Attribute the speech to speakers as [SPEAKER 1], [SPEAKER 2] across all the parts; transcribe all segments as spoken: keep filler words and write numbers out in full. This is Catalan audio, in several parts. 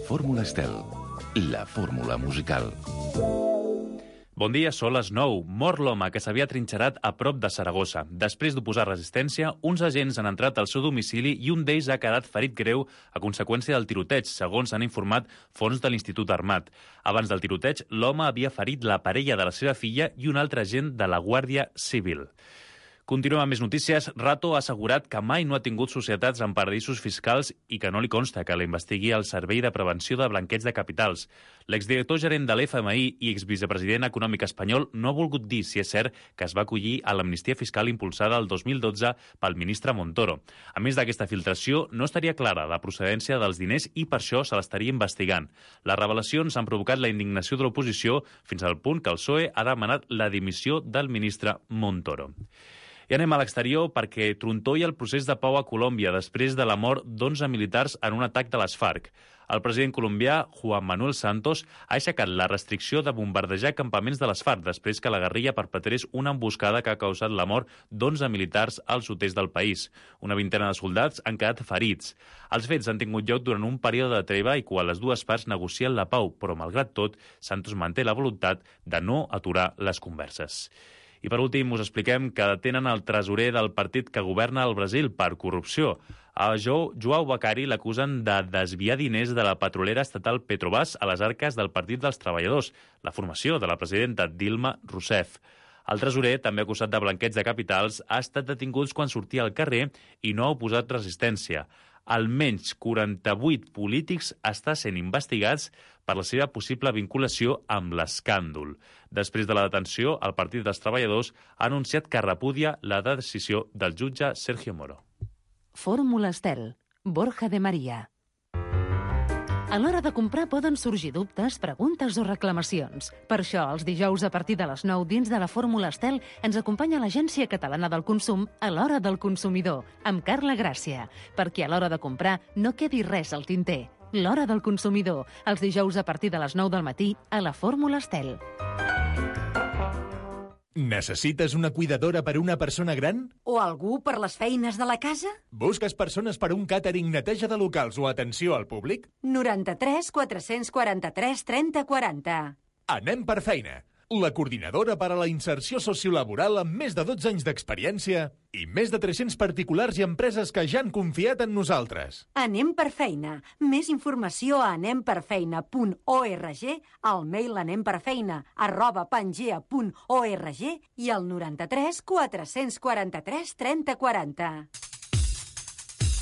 [SPEAKER 1] Fórmula Estel, la fórmula musical.
[SPEAKER 2] Bon dia, són les nou. Mor l'home que s'havia trinxerat a prop de Saragossa. Després d'oposar resistència, uns agents han entrat al seu domicili i un d'ells ha quedat ferit greu a conseqüència del tiroteig, segons han informat fonts de l'Institut Armat. Abans del tiroteig, l'home havia ferit la parella de la seva filla i un altre agent de la Guàrdia Civil. Continuem amb més notícies. Rato ha assegurat que mai no ha tingut societats en paradisos fiscals i que no li consta que la investigui el Servei de Prevenció de Blanqueig de Capitals. L'exdirector gerent de l'F M I i exvicepresident econòmic espanyol no ha volgut dir si és cert que es va acollir a l'amnistia fiscal impulsada el dos mil dotze pel ministre Montoro. A més d'aquesta filtració, no estaria clara la procedència dels diners i per això se l'estaria investigant. Les revelacions han provocat la indignació de l'oposició fins al punt que el P S O E ha demanat la dimissió del ministre Montoro. I anem a l'exterior perquè trontolla el procés de pau a Colòmbia després de la mort d'onze militars en un atac de les FARC. El president colombià, Juan Manuel Santos, ha aixecat la restricció de bombardejar campaments de les FARC després que la guerrilla perpetrés una emboscada que ha causat la mort d'onze militars al sud-est del país. Una vintena de soldats han quedat ferits. Els fets han tingut lloc durant un període de treva i quan les dues parts negocien la pau, però malgrat tot, Santos manté la voluntat de no aturar les converses. I per últim us expliquem que detenen el tresorer del partit que governa el Brasil per corrupció. A João Bacari l'acusen de desviar diners de la petrolera estatal Petrobras a les arques del Partit dels Treballadors, la formació de la presidenta Dilma Rousseff. El tresorer, també acusat de blanqueig de capitals, ha estat detingut quan sortia al carrer i no ha oposat resistència. Almenys quaranta-vuit polítics estan sent investigats per la seva possible vinculació amb l'escàndol. Després de la detenció, el Partit dels Treballadors ha anunciat que repudia la decisió del jutge Sergio Moro.
[SPEAKER 3] Fórmula Estel, Borja de María. A l'hora de comprar poden sorgir dubtes, preguntes o reclamacions. Per això, els dijous a partir de les nou dins de la Fórmula Estel ens acompanya l'Agència Catalana del Consum a l'Hora del Consumidor, amb Carla Gràcia, perquè a l'hora de comprar no quedi res al tinter. L'Hora del Consumidor, els dijous a partir de les nou del matí a la Fórmula Estel.
[SPEAKER 4] Necessites una cuidadora per una persona gran?
[SPEAKER 5] O algú per les feines de la casa?
[SPEAKER 4] Busques persones per un càtering, neteja de locals o atenció al públic?
[SPEAKER 5] noranta-tres quatre-cents quaranta-tres trenta quaranta.
[SPEAKER 4] Anem per feina. La coordinadora per a la inserció sociolaboral amb més de dotze anys d'experiència i més de tres-cents particulars i empreses que ja han confiat en nosaltres.
[SPEAKER 5] Anem per feina. Més informació a anem per feina punt org, al mail anemperfeina arroba pangea punt org i al noranta-tres quatre-cents quaranta-tres trenta quaranta.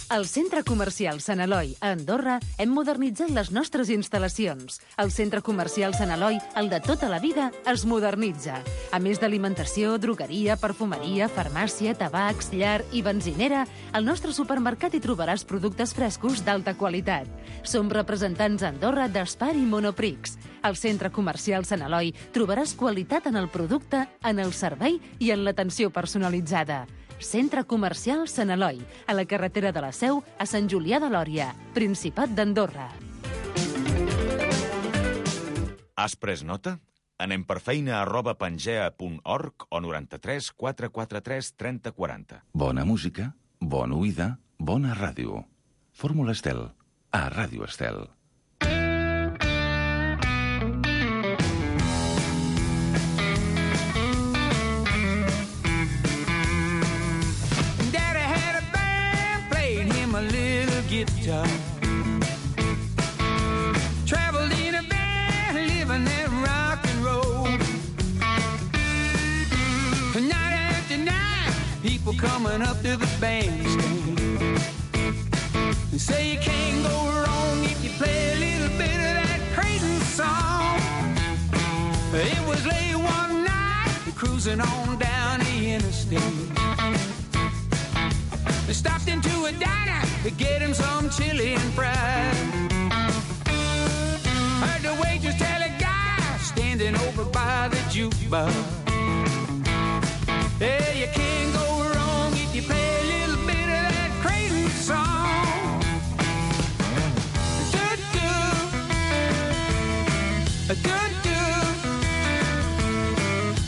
[SPEAKER 3] Al Centre Comercial Sant Eloi, a Andorra, hem modernitzat les nostres instal·lacions. El Centre Comercial Sant Eloi, el de tota la vida, es modernitza. A més d'alimentació, drogueria, perfumeria, farmàcia, tabacs, llar i benzinera, al nostre supermercat hi trobaràs productes frescos d'alta qualitat. Som representants a Andorra d'Espar i Monoprix. Al Centre Comercial Sant Eloi trobaràs qualitat en el producte, en el servei i en l'atenció personalitzada. Centre Comercial Sant Eloi, a la carretera de la Seu, a Sant Julià de Lòria, Principat d'Andorra.
[SPEAKER 6] Has pres nota? Anem per feina arroba pangea punt org o noranta-tres quatre quatre tres trenta quaranta.
[SPEAKER 1] Bona música, bona oïda, bona ràdio. Fórmula Estel, a Ràdio Estel.
[SPEAKER 7] Guitar. Traveled in a van, living that rock and roll. Night after night, people coming up to the bandstand. They say you can't go wrong if you play a little bit of that crazy song. It was late one night, cruising on down the interstate. They stopped into a diner to get him some chili and fries. Heard the waitress tell a guy standing over by the jukebox, hey, you can't go wrong if you play a little bit of that crazy song. Do-do,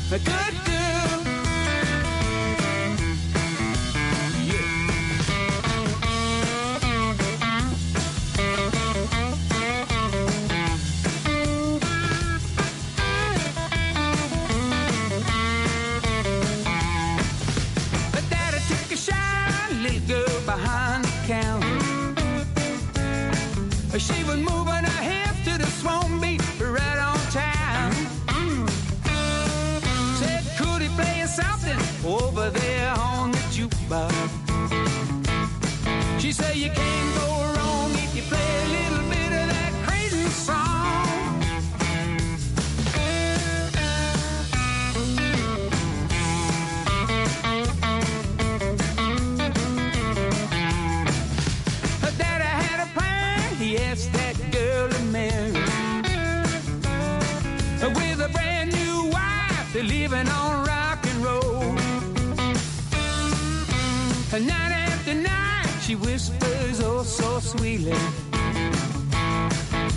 [SPEAKER 7] do-do, do-do. little girl behind the counter. She was moving her hips to the swan beat right on time. Said, could he play something over there on the jukebox? She said, you can't go wrong if you play a little bit of that crazy song. Her daddy had a plan, he asked that girl to marry. With a brand new wife, they're living on rock and roll. And night after night, she whispers oh so sweetly,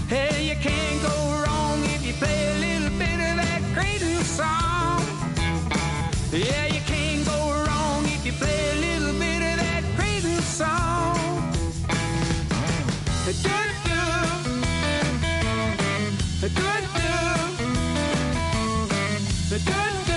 [SPEAKER 7] hey, you can't go wrong if you play a little bit of that crazy song. Yeah, you can't go wrong if you play a little bit of that crazy song. Do do, do do, do do.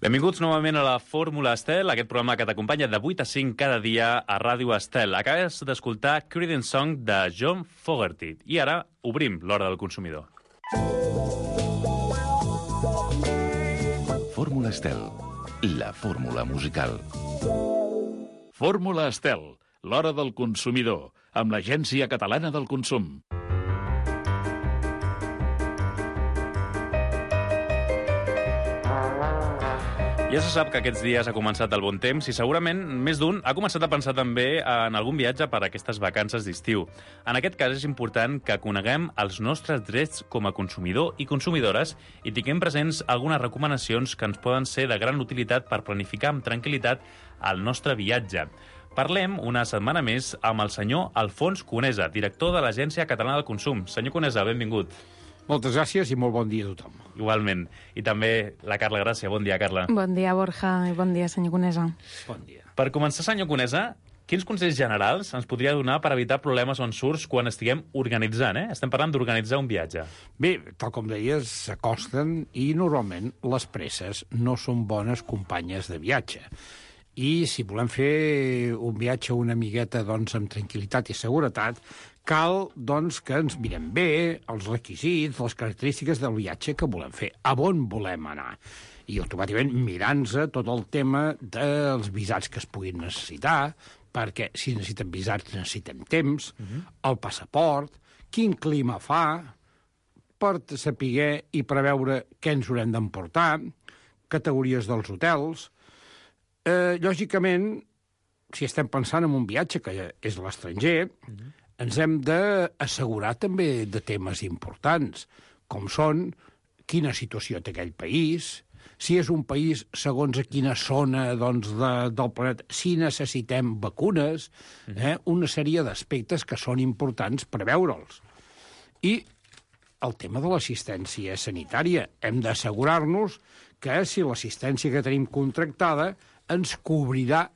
[SPEAKER 2] Benvinguts novament a la Fórmula Estel, aquest programa que t'acompanya de vuit a cinc cada dia a Ràdio Estel. Acabes d'escoltar Creedence Song de John Fogerty. I ara obrim l'hora del consumidor.
[SPEAKER 1] Fórmula Estel, la fórmula musical.
[SPEAKER 8] Fórmula Estel, l'hora del consumidor, amb l'Agència Catalana del Consum.
[SPEAKER 2] Ja se sap que aquests dies ha començat el bon temps i segurament més d'un ha començat a pensar també en algun viatge per a aquestes vacances d'estiu. En aquest cas és important que coneguem els nostres drets com a consumidor i consumidores i tinguem presents algunes recomanacions que ens poden ser de gran utilitat per planificar amb tranquil·litat el nostre viatge. Parlem una setmana més amb el senyor Alfons Conesa, director de l'Agència Catalana del Consum. Senyor Conesa, benvingut.
[SPEAKER 9] Moltes gràcies i molt bon dia a tothom.
[SPEAKER 2] Igualment. I també la Carla Gràcia. Bon dia, Carla.
[SPEAKER 10] Bon dia, Borja, i bon dia, senyor Conesa.
[SPEAKER 9] Bon dia.
[SPEAKER 2] Per començar, senyor Conesa, quins consells generals ens podria donar per evitar problemes o ensurts quan estiguem organitzant, eh? Estem parlant d'organitzar un viatge.
[SPEAKER 9] Bé, tal com deies, s'acosten i normalment les presses no són bones companyes de viatge. I si volem fer un viatge una miqueta doncs, amb tranquil·litat i seguretat, cal doncs, que ens mirem bé els requisits, les característiques del viatge que volem fer, a on volem anar. I automàticament mirant-se tot el tema dels visats que es puguin necessitar, perquè si necessitem visats necessitem temps, uh-huh. el passaport, quin clima fa, per saber i preveure què ens haurem d'emportar, categories dels hotels. Eh, lògicament, si estem pensant en un viatge que és a l'estranger, uh-huh. ens hem d'assegurar també de temes importants, com són quina situació té aquell país, si és un país segons a quina zona doncs, de, del planeta, si necessitem vacunes, eh, una sèrie d'aspectes que són importants per veure'ls. I el tema de l'assistència sanitària. Hem d'assegurar-nos que si l'assistència que tenim contractada ens cobrirà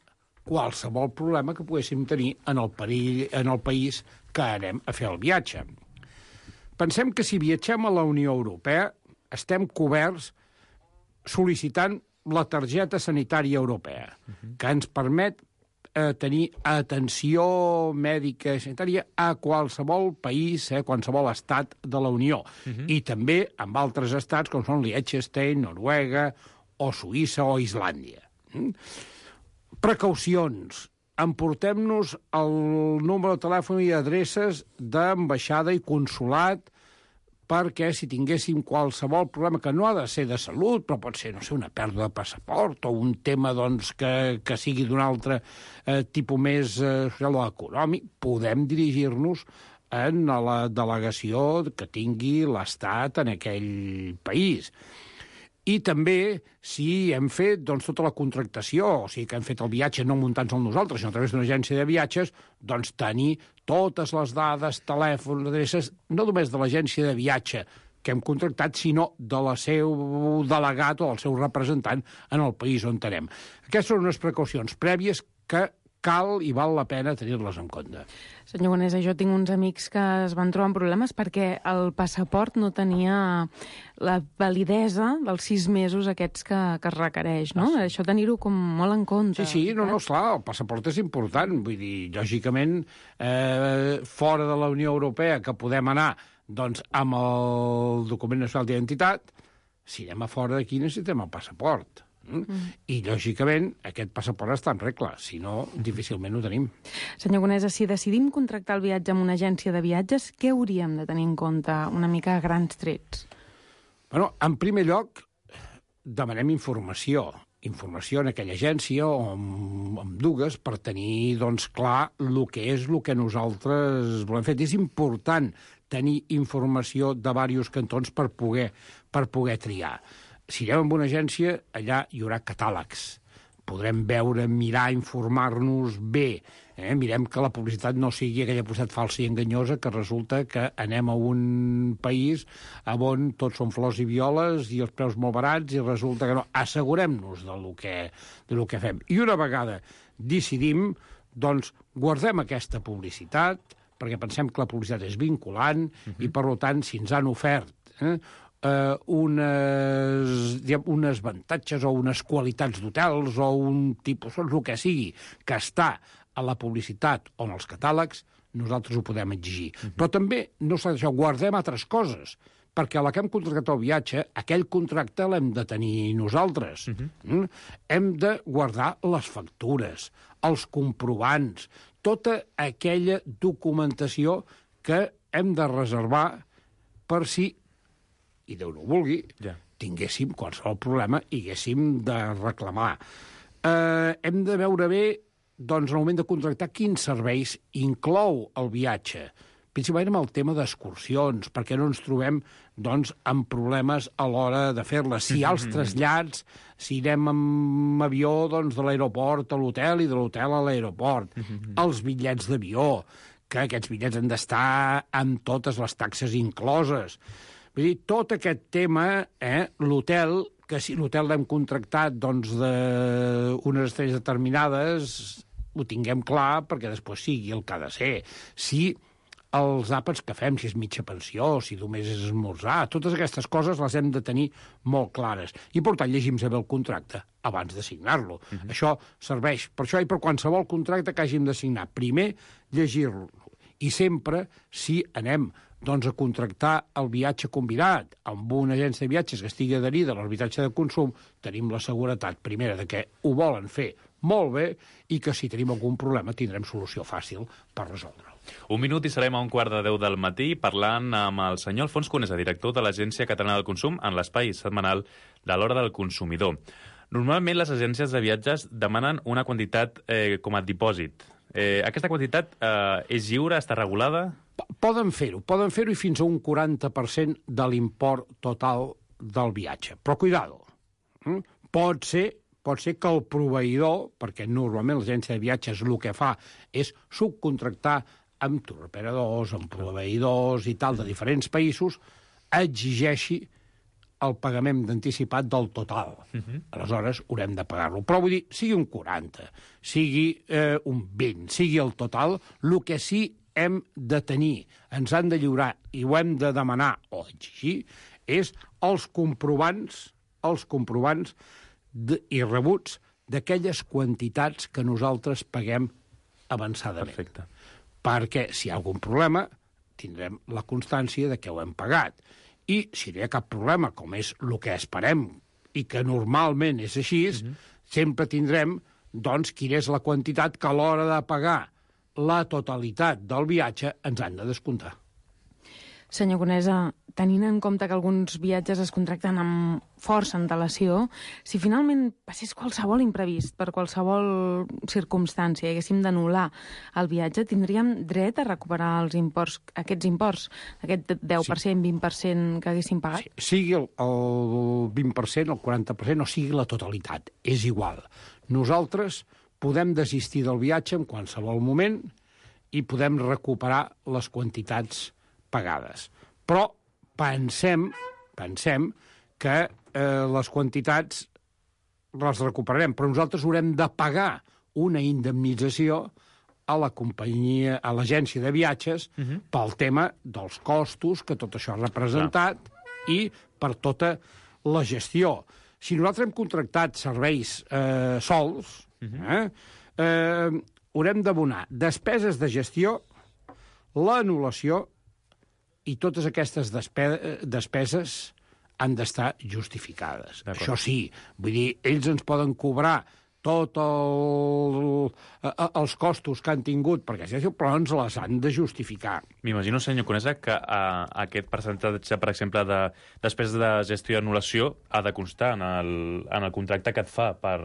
[SPEAKER 9] qualsevol problema que poguéssim tenir en el, perill, en el país que anem a fer el viatge. Pensem que si viatgem a la Unió Europea estem coberts sol·licitant la targeta sanitària europea, uh-huh. que ens permet eh, tenir atenció mèdica i sanitària a qualsevol país, a eh, qualsevol estat de la Unió. Uh-huh. I també amb altres estats com són Liechtenstein, Noruega, o Suïssa o Islàndia. Mm? Precaucions. Emportem-nos el número de telèfon i adreces d'ambaixada i consulat perquè si tinguéssim qualsevol problema, que no ha de ser de salut, però pot ser, no sé, una pèrdua de passaport o un tema doncs, que, que sigui d'un altre eh, tipus més eh, social o econòmic, podem dirigir-nos en la delegació que tingui l'Estat en aquell país. I també, si hem fet doncs, tota la contractació, o sigui que hem fet el viatge no muntant-nos nosaltres, sinó a través d'una agència de viatges, doncs tenir totes les dades, telèfons, adreces, no només de l'agència de viatge que hem contractat, sinó de la seu delegat o el seu representant en el país on anem. Aquestes són unes precaucions prèvies que cal i val la pena tenir-les en compte.
[SPEAKER 10] Senyor Conesa, jo tinc uns amics que es van trobar amb problemes perquè el passaport no tenia la validesa dels sis mesos aquests que, que es requereix, no? Ah, sí. Això tenir-ho com molt en compte.
[SPEAKER 9] Sí, sí, no, no, esclar, el passaport és important. Vull dir, lògicament, eh, fora de la Unió Europea, que podem anar doncs, amb el document nacional d'identitat, si anem a fora d'aquí necessitem el passaport. Mm. I, lògicament, aquest passaport està en regla, si no, difícilment ho tenim.
[SPEAKER 10] Senyor Conesa, si decidim contractar el viatge amb una agència de viatges, què hauríem de tenir en compte una mica a grans trets?
[SPEAKER 9] Bueno, en primer lloc, demanem informació. Informació en aquella agència o amb, amb dues per tenir, doncs, clar el que és el que nosaltres volem fer. És important tenir informació de diversos cantons per poder, per poder triar. Si anem amb una agència, allà hi haurà catàlegs. Podrem veure, mirar, informar-nos bé. Eh? Mirem que la publicitat no sigui aquella publicitat falsa i enganyosa que resulta que anem a un país on tots són flors i violes i els preus molt barats i resulta que no. Assegurem-nos de lo que, de lo que fem. I una vegada decidim, doncs guardem aquesta publicitat perquè pensem que la publicitat és vinculant uh-huh. i, per tant, si ens han ofert eh, Uh, unes, diguem, unes avantatges o unes qualitats d'hotels o un tipus, el que sigui, que està a la publicitat o en els catàlegs, nosaltres ho podem exigir. Uh-huh. Però també, no s'ha d'això, guardem altres coses, perquè a la que hem contractat el viatge, aquell contracte l'hem de tenir nosaltres. Uh-huh. Mm? Hem de guardar les factures, els comprovants, tota aquella documentació que hem de reservar per si i Déu no ho vulgui, ja. tinguéssim qualsevol problema i haguéssim de reclamar. Eh, hem de veure bé, doncs, en el moment de contractar, quins serveis inclou el viatge. Principalment amb el tema d'excursions, perquè no ens trobem doncs, amb problemes a l'hora de fer-les. Si hi ha els trasllats, si anem amb avió doncs, de l'aeroport a l'hotel i de l'hotel a l'aeroport, els bitllets d'avió, que aquests bitllets han d'estar amb totes les taxes incloses. Vull dir, tot aquest tema, eh, l'hotel, que si l'hotel l'hem contractat doncs, d'unes estrelles determinades, ho tinguem clar perquè després sigui el que ha de ser. Si els àpats que fem, si és mitja pensió, si només és esmorzar, totes aquestes coses les hem de tenir molt clares. I, per tant, llegim bé el contracte abans de signar-lo. Uh-huh. Això serveix per això i per qualsevol contracte que hàgim de signar. Primer, llegir-lo. I sempre, si anem doncs, a contractar el viatge convidat amb una agència de viatges que estigui adherida a l'arbitratge de consum, tenim la seguretat, primera, de que ho volen fer molt bé i que si tenim algun problema tindrem solució fàcil per resoldre'l.
[SPEAKER 2] Un minut i serem a un quart de deu del matí parlant amb el senyor Alfons Conesa, director de l'Agència Catalana del Consum, en l'espai setmanal de l'Hora del Consumidor. Normalment les agències de viatges demanen una quantitat eh, com a dipòsit. Eh, aquesta quantitat eh, és lliure, està regulada?
[SPEAKER 9] Poden fer-ho, poden fer-ho i fins a un quaranta per cent de l'import total del viatge. Però, cuidado, pot ser, pot ser que el proveïdor, perquè normalment l'agència de viatges el que fa és subcontractar amb touroperadors, amb proveïdors i tal de diferents països, exigeixi el pagament d'anticipat del total. Uh-huh. Aleshores, haurem de pagar-lo. Però vull dir, sigui un quaranta, sigui eh, un vint, sigui el total, el que sí hem de tenir, ens han de lliurar i ho hem de demanar o exigir, és els comprovants, els comprovants de, i rebuts d'aquelles quantitats que nosaltres paguem avançadament.
[SPEAKER 2] Perfecte.
[SPEAKER 9] Perquè si hi ha algun problema, tindrem la constància de que ho hem pagat. I si no hi ha cap problema, com és el que esperem, i que normalment és així, mm-hmm. sempre tindrem doncs, quina és la quantitat que a l'hora de pagar la totalitat del viatge ens han de descomptar.
[SPEAKER 10] Senyor Conesa, tenint en compte que alguns viatges es contracten amb força antelació, si finalment passés qualsevol imprevist per qualsevol circumstància i haguéssim d'anul·lar el viatge, tindríem dret a recuperar els imports, aquests imports, aquest deu per cent, sí. vint per cent que haguéssim pagat?
[SPEAKER 9] Sí, sigui el, el vint per cent, el quaranta per cent, o sigui la totalitat, és igual. Nosaltres podem desistir del viatge en qualsevol moment i podem recuperar les quantitats pagades. Però pensem, pensem que eh, les quantitats les recuperarem, però nosaltres haurem de pagar una indemnització a la companyia, a l'agència de viatges, uh-huh. pel tema dels costos que tot això ha representat Clar. I per tota la gestió. Si nosaltres hem contractat serveis eh, sols, uh-huh. eh, eh, haurem d'abonar despeses de gestió, l'anul·lació, i totes aquestes despe despeses han d'estar justificades. Això sí, vull dir, ells ens poden cobrar tots el, els costos que han tingut, perquè però ens les han de justificar.
[SPEAKER 2] M'imagino, senyor Conesa, que uh, aquest percentatge, per exemple, de despeses de gestió i anul·lació ha de constar en el, en el contracte que et fa per,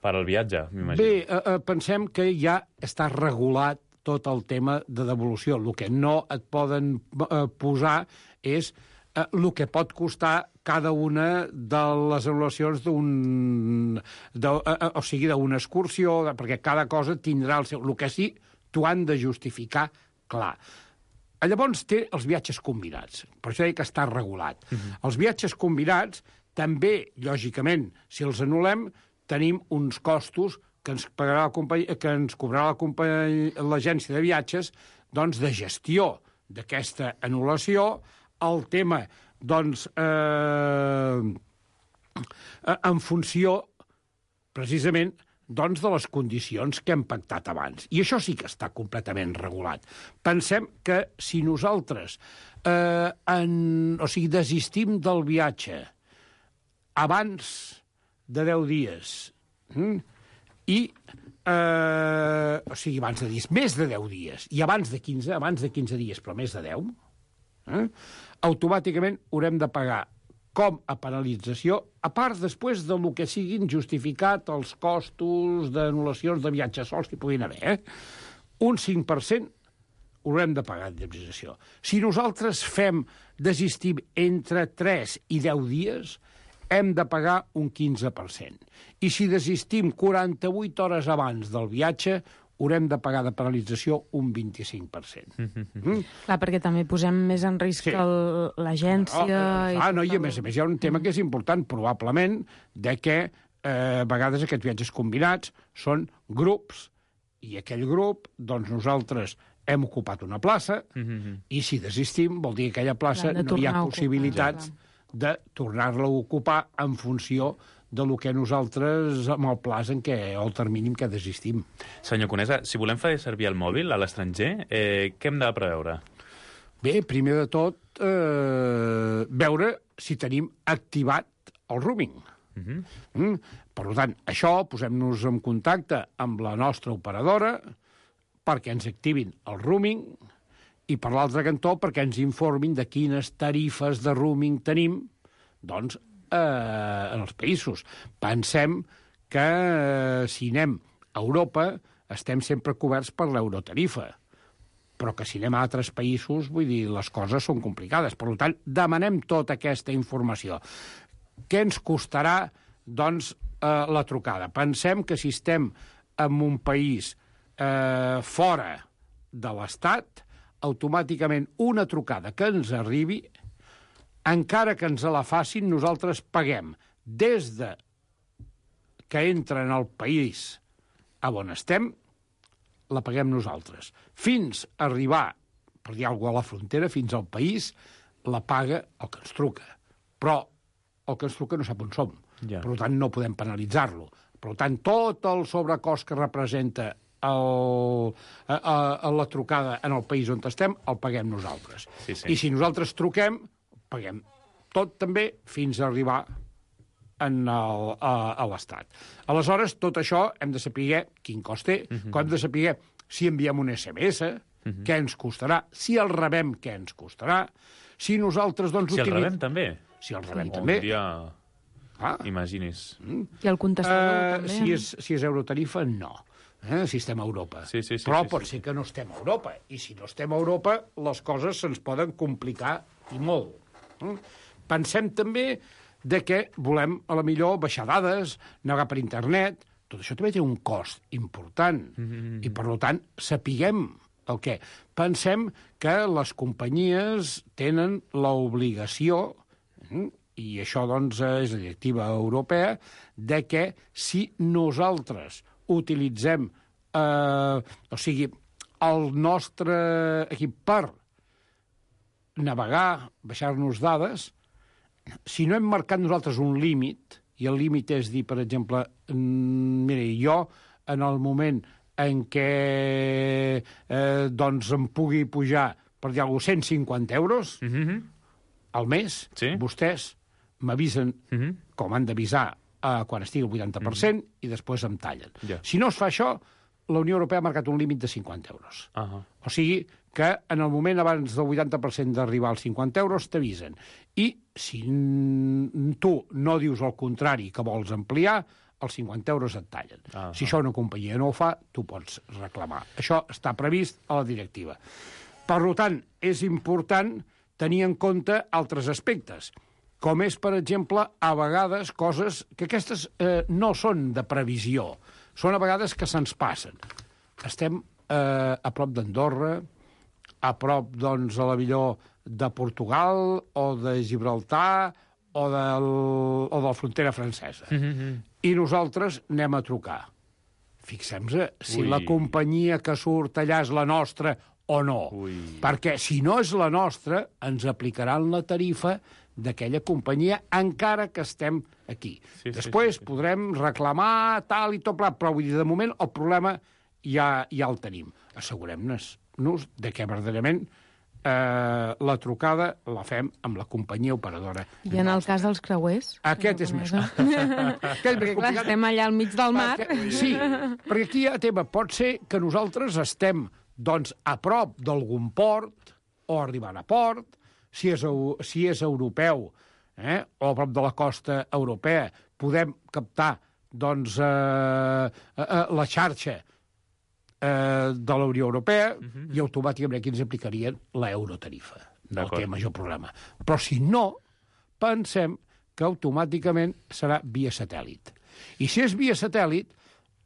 [SPEAKER 2] per al viatge, m'imagino.
[SPEAKER 9] Bé, uh, pensem que ja està regulat tot el tema de devolució. El que no et poden eh, posar és eh, el que pot costar cada una de les anul·lacions d'un... Eh, o sigui, d'una excursió, de, perquè cada cosa tindrà el seu... El que sí, t'ho han de justificar clar. Llavors té els viatges combinats. Per això dic que està regulat. Uh-huh. Els viatges combinats, també, lògicament, si els anul·lem, tenim uns costos que ens pagarà la companyia, que ens cobrarà l'agència de viatges, doncs, de gestió d'aquesta anul·lació, el tema, doncs, eh, en funció, precisament, doncs, de les condicions que hem pactat abans. I això sí que està completament regulat. Pensem que si nosaltres eh, en, o sigui, desistim del viatge abans de deu dies, hm, i, eh, o sigui, abans de dies, més de deu dies, i abans de quinze, abans de quinze dies, però més de deu, eh, automàticament haurem de pagar com a penalització, a part després del que siguin justificat els costos d'anul·lacions de viatges sols que puguin haver, eh, un cinc per cent haurem de pagar d'indemnització. Si nosaltres fem desistim entre tres i deu dies, hem de pagar un quinze per cent. I si desistim quaranta-vuit hores abans del viatge, haurem de pagar de penalització un vint-i-cinc per cent. Mm?
[SPEAKER 10] Clar, perquè també posem més en risc sí. l'agència...
[SPEAKER 9] No, ah, no, i a més a més hi ha un tema que és important, probablement, de que eh, a vegades aquests viatges combinats són grups, i aquell grup, doncs nosaltres hem ocupat una plaça, mm-hmm. i si desistim vol dir que aquella plaça no hi ha possibilitats de tornar-la a ocupar en funció de lo que nosaltres, amb el plaç en què, o el termini en què desistim.
[SPEAKER 2] Senyor Conesa, si volem fer servir el mòbil a l'estranger, eh, què hem de preveure?
[SPEAKER 9] Bé, primer de tot, eh, veure si tenim activat el roaming. Uh-huh. mm? Per tant, això, posem-nos en contacte amb la nostra operadora perquè ens activin el roaming, i per l'altre cantó perquè ens informin de quines tarifes de roaming tenim, doncs, eh, en els països. Pensem que eh, si anem a Europa estem sempre coberts per l'eurotarifa, però que si anem a altres països, vull dir, les coses són complicades. Per tant, demanem tota aquesta informació. Què ens costarà, doncs, eh, la trucada? Pensem que si estem en un país eh, fora de l'Estat, automàticament una trucada que ens arribi, encara que ens la facin, nosaltres paguem des de que entra en el país a on estem, la paguem nosaltres. Fins a arribar, per dir alguna cosa, a la frontera, fins al país, la paga el que ens truca. Però el que ens truca no sap on som.
[SPEAKER 2] Ja.
[SPEAKER 9] Per tant, no podem penalitzar-lo. Per tant, tot el sobrecost que representa el, a, a, a la trucada en el país on estem, el paguem nosaltres.
[SPEAKER 2] Sí, sí.
[SPEAKER 9] I si nosaltres truquem, paguem tot també fins a arribar en el, a, a l'Estat. Aleshores, tot això hem de saber quin cost té, uh -huh. com hem de saber si enviem un esse eme esse, uh -huh. què ens costarà, si el rebem, què ens costarà, si nosaltres... Doncs,
[SPEAKER 2] si el
[SPEAKER 9] utilitzem...
[SPEAKER 2] rebem, també.
[SPEAKER 9] Si el rebem,
[SPEAKER 2] un
[SPEAKER 9] també.
[SPEAKER 2] dia...
[SPEAKER 9] Ah.
[SPEAKER 2] Imaginis.
[SPEAKER 9] Mm.
[SPEAKER 10] I el contestador,
[SPEAKER 9] uh,
[SPEAKER 10] també.
[SPEAKER 9] Si és, si és eurotarifa, no. Eh? Si estem a Europa.
[SPEAKER 2] Sí, sí, sí,
[SPEAKER 9] Però
[SPEAKER 2] sí,
[SPEAKER 9] pot
[SPEAKER 2] sí,
[SPEAKER 9] ser que no estem a Europa. I si no estem a Europa, les coses se'ns poden complicar i molt. Mm? Pensem també de que volem, a la millor, baixar dades, navegar per internet. Tot això també té un cost important. Mm-hmm. I, per tant, sapiguem el què. Pensem que les companyies tenen l'obligació, mm, i això, doncs, és la directiva europea, de que si nosaltres utilitzem, eh, o sigui, el nostre equip per navegar, baixar-nos dades, si no hem marcat nosaltres un límit, i el límit és dir, per exemple, mira, jo, en el moment en què eh, doncs em pugui pujar, per dir alguna cosa, cent cinquanta euros mm-hmm. al mes, sí? Vostès m'avisen, mm-hmm. com han d'avisar, eh, quan estigui al vuitanta per cent, mm-hmm. i després em tallen. Yeah. Si no es fa això, la Unió Europea ha marcat un límit de cinquanta euros. Uh-huh. O sigui que en el moment abans del vuitanta per cent d'arribar als cinquanta euros t'avisen. I si tu no dius el contrari, que vols ampliar, els cinquanta euros et tallen. Uh-huh. Si això una companyia no ho fa, tu pots reclamar. Això està previst a la directiva. Per tant, és important tenir en compte altres aspectes, com és, per exemple, a vegades coses que aquestes eh, no són de previsió, són a vegades que se'ns passen. Estem eh, a prop d'Andorra, a prop, doncs, a la millor de Portugal o de Gibraltar o, del, o de la frontera francesa. Mm-hmm. I nosaltres anem a trucar. Fixem-nos si Ui. La companyia que surt allà és la nostra o no. Ui. Perquè si no és la nostra, ens aplicaran la tarifa d'aquella companyia, encara que estem aquí. Sí, Després sí, sí, sí. podrem reclamar tal i tot plat, però vull dir, de moment el problema ja, ja el tenim. Assegurem-nos de que verdaderament eh, la trucada la fem amb la companyia operadora.
[SPEAKER 10] I en el cas dels creuers?
[SPEAKER 9] Aquest és més complicat.
[SPEAKER 10] Perquè, clar, estem allà al mig del mar.
[SPEAKER 9] Perquè, sí, perquè aquí hi ha tema. Pot ser que nosaltres estem doncs, a prop d'algun port o arribant a port, si és, si és europeu eh, o a prop de la costa europea, podem captar doncs, eh, eh, la xarxa eh, de la Unió Europea uh-huh. i automàticament aquí ens aplicarien l'eurotarifa. No té major problema. Però si no, pensem que automàticament serà via satèl·lit. I si és via satèl·lit,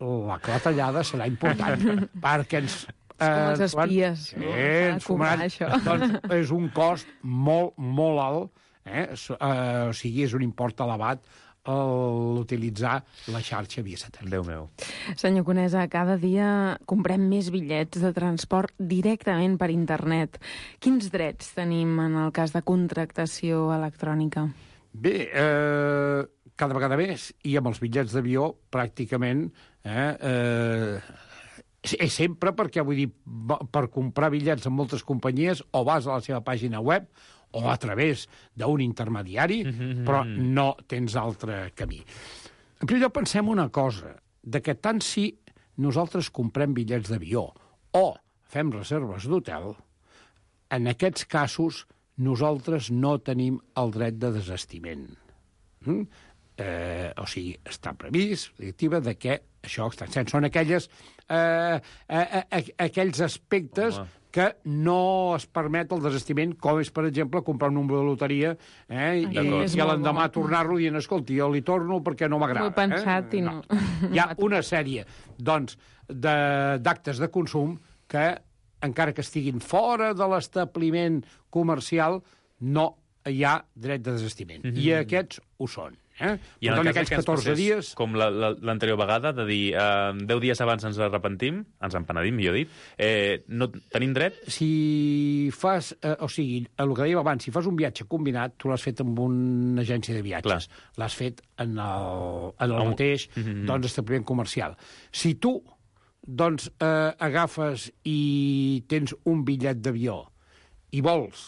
[SPEAKER 9] la clatellada serà important, perquè ens...
[SPEAKER 10] És com els espies,
[SPEAKER 9] eh,
[SPEAKER 10] no?
[SPEAKER 9] Ens sumaran, doncs, és un cost molt, molt alt, eh? o sigui, és un import elevat l'utilitzar la xarxa via satèl·lit.
[SPEAKER 2] Déu meu.
[SPEAKER 10] Senyor Conesa, cada dia comprem més bitllets de transport directament per internet. Quins drets tenim en el cas de contractació electrònica?
[SPEAKER 9] Bé, eh, cada vegada més, i amb els bitllets d'avió, pràcticament, eh, eh, és sempre perquè, vull dir, per comprar bitllets en moltes companyies o vas a la seva pàgina web o a través d'un intermediari, mm-hmm. però no tens altre camí. En primer lloc, pensem una cosa, de que tant si nosaltres comprem bitllets d'avió o fem reserves d'hotel, en aquests casos nosaltres no tenim el dret de desistiment. Mm? Eh, o sigui, està previst, la directiva, de que això està sent. Són aquelles, eh, eh, eh, aquells aspectes Home. que no es permet el desistiment, com és, per exemple, comprar un número de loteria eh, i, i l'endemà tornar-lo dient, escolti, jo li torno perquè no m'agrada.
[SPEAKER 10] M'ho he pensat eh? i no.
[SPEAKER 9] no. Hi ha una sèrie, doncs, d'actes de, de consum que, encara que estiguin fora de l'establiment comercial, no hi ha dret de desistiment. Mm-hmm. I aquests ho són.
[SPEAKER 2] Eh? I en el cas que ens passés, dies... com l'anterior vegada, de dir eh, deu dies abans ens arrepentim, ens empenedim, millor dit, eh, no tenim dret?
[SPEAKER 9] Si fas, eh, o sigui, el que dèiem abans, si fas un viatge combinat, tu l'has fet amb una agència de viatges. L'has fet en el, en el mateix mm-hmm. doncs, establiment comercial. Si tu doncs, eh, agafes i tens un bitllet d'avió i vols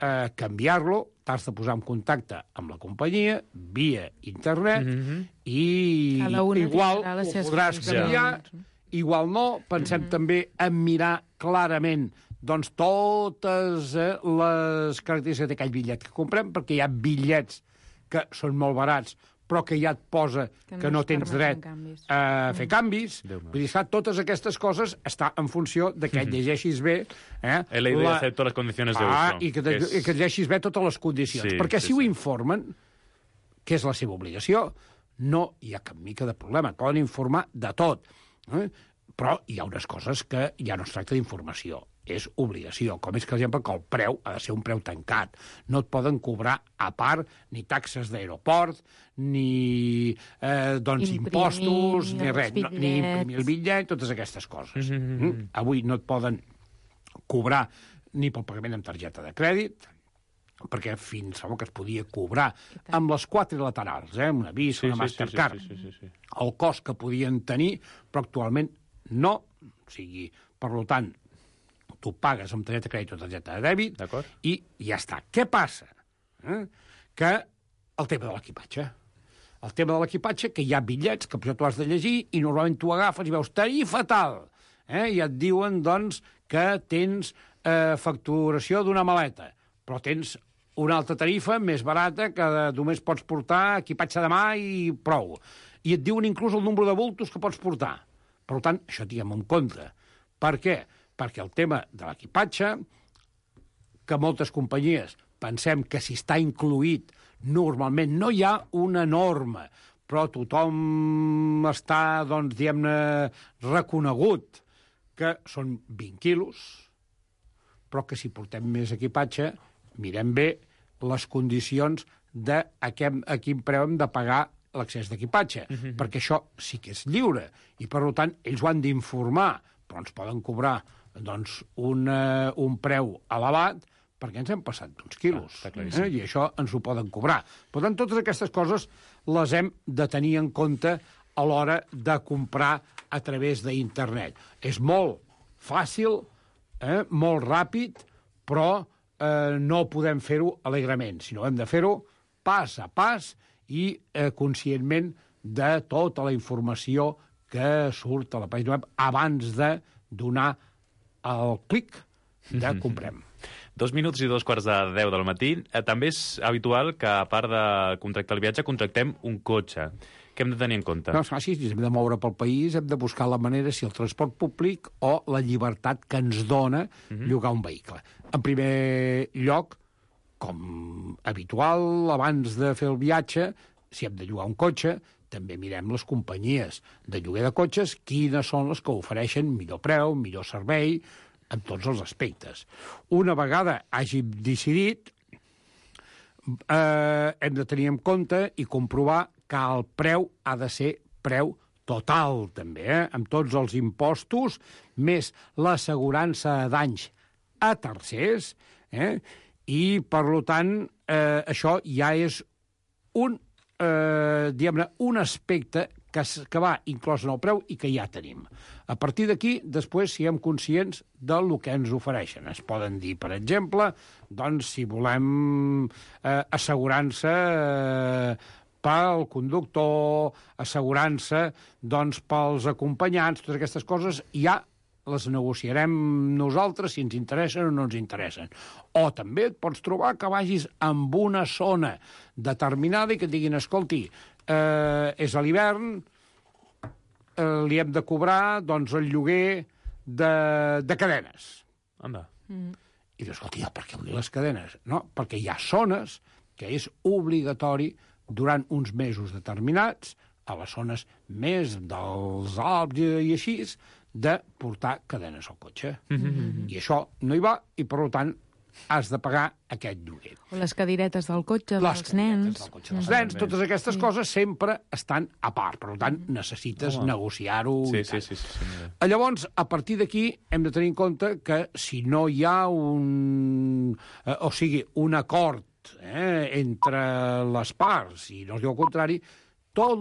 [SPEAKER 9] eh, canviar-lo, t'has de posar en contacte amb la companyia via internet mm-hmm. i igual ho podràs canviar, ja. Igual no. Pensem mm-hmm. també en mirar clarament doncs, totes eh, les característiques d'aquell bitllet que comprem, perquè hi ha bitllets que són molt barats, però que ja et posa que no, que no tens dret a fer canvis. Vull dir, totes aquestes coses està en funció de que et llegeixis bé... Eh,
[SPEAKER 2] He leído la... y acepto las condiciones de uso.
[SPEAKER 9] Ah, i que, te, és... que et llegeixis bé totes les condicions. Sí, perquè sí, si sí. ho informen, que és la seva obligació, no hi ha cap mica de problema. Poden informar de tot. Eh? Però hi ha unes coses que ja no es tracta d'informació. És obligació, com és que, per exemple, que el preu ha de ser un preu tancat. No et poden cobrar a part ni taxes d'aeroport, ni eh, doncs, imprimir, impostos, ni res, no, ni imprimir el bitllet, totes aquestes coses. Mm-hmm. Mm? Avui no et poden cobrar ni pel pagament amb targeta de crèdit, perquè fins fa que es podia cobrar amb les quatre laterals, eh? una Visa, sí, una Mastercard, sí, sí, sí, sí, sí. el cost que podien tenir, però actualment no. O sigui, per tant, tu pagues amb targeta de crèdit o targeta de dèbit i ja està. Què passa? Eh? Que el tema de l'equipatge. El tema de l'equipatge, que hi ha bitllets que potser tu has de llegir i normalment tu agafes i veus tarifa tal. Eh? I et diuen, doncs, que tens eh, facturació d'una maleta, però tens una altra tarifa més barata que només pots portar equipatge de mà i prou. I et diuen inclús el nombre de bultos que pots portar. Per tant, això tinguem en compte. Per què? Perquè el tema de l'equipatge, que moltes companyies pensem que si està incluït, normalment no hi ha una norma, però tothom està, doncs, diguem-ne, reconegut que són vint quilos, però que si portem més equipatge, mirem bé les condicions de a quin preu hem de pagar l'accés d'equipatge, mm-hmm. perquè això sí que és lliure, i per tant ells ho han d'informar, però ens poden cobrar doncs, un, uh, un preu elevat perquè ens hem passat d'uns quilos. Ah, eh? I això ens ho poden cobrar. Per tant, totes aquestes coses les hem de tenir en compte a l'hora de comprar a través d'internet. És molt fàcil, eh? molt ràpid, però eh, no podem fer-ho alegrement, sinó hem de fer-ho pas a pas i eh, conscientment de tota la informació que surt a la pàgina web abans de donar el clic de comprem.
[SPEAKER 2] Dos minuts i dos quarts de deu del matí. Eh, també és habitual que, a part de contractar el viatge, contractem un cotxe. Què hem de tenir en compte?
[SPEAKER 9] No, és fàcil, si hem de moure pel país, hem de buscar la manera, si el transport públic o la llibertat que ens dona uh-huh. llogar un vehicle. En primer lloc, com habitual, abans de fer el viatge, si hem de llogar un cotxe, també mirem les companyies de lloguer de cotxes, quines són les que ofereixen millor preu, millor servei, en tots els aspectes. Una vegada hàgim decidit, eh, hem de tenir en compte i comprovar que el preu ha de ser preu total, també, eh? amb tots els impostos, més l'assegurança de danys a tercers, eh? i, per tant, eh, això ja és un Eh, diguem-ne, un aspecte que, que va inclòs en el preu i que ja tenim. A partir d'aquí, després, siguem conscients del que ens ofereixen. Es poden dir, per exemple, doncs, si volem eh, assegurança eh, pel conductor, assegurança doncs, pels acompanyants, totes aquestes coses, ja les negociarem nosaltres si ens interessen o no ens interessen. O també et pots trobar que vagis amb una zona determinada i que et diguin, escolti, eh, és a l'hivern, eh, li hem de cobrar doncs, el lloguer de, de cadenes.
[SPEAKER 2] Anda.
[SPEAKER 9] Mm. I dius, escolti, per què vull les cadenes? No, perquè hi ha zones que és obligatori durant uns mesos determinats, a les zones més dels Alps i així, de portar cadenes al cotxe. Mm-hmm. I això no hi va, i per tant has de pagar aquest lloguer.
[SPEAKER 10] O les cadiretes del cotxe,
[SPEAKER 9] Les
[SPEAKER 10] dels nens.
[SPEAKER 9] Del cotxe dels nens, totes aquestes
[SPEAKER 10] Sí.
[SPEAKER 9] coses sempre estan a part, per tant, necessites
[SPEAKER 2] Home.
[SPEAKER 9] negociar-ho.
[SPEAKER 2] Sí,
[SPEAKER 9] i
[SPEAKER 2] sí,
[SPEAKER 9] tal.
[SPEAKER 2] sí, sí, sí, mira.
[SPEAKER 9] Llavors, a partir d'aquí, hem de tenir en compte que si no hi ha un... Eh, o sigui, un acord eh, entre les parts, i no es diu el contrari, tot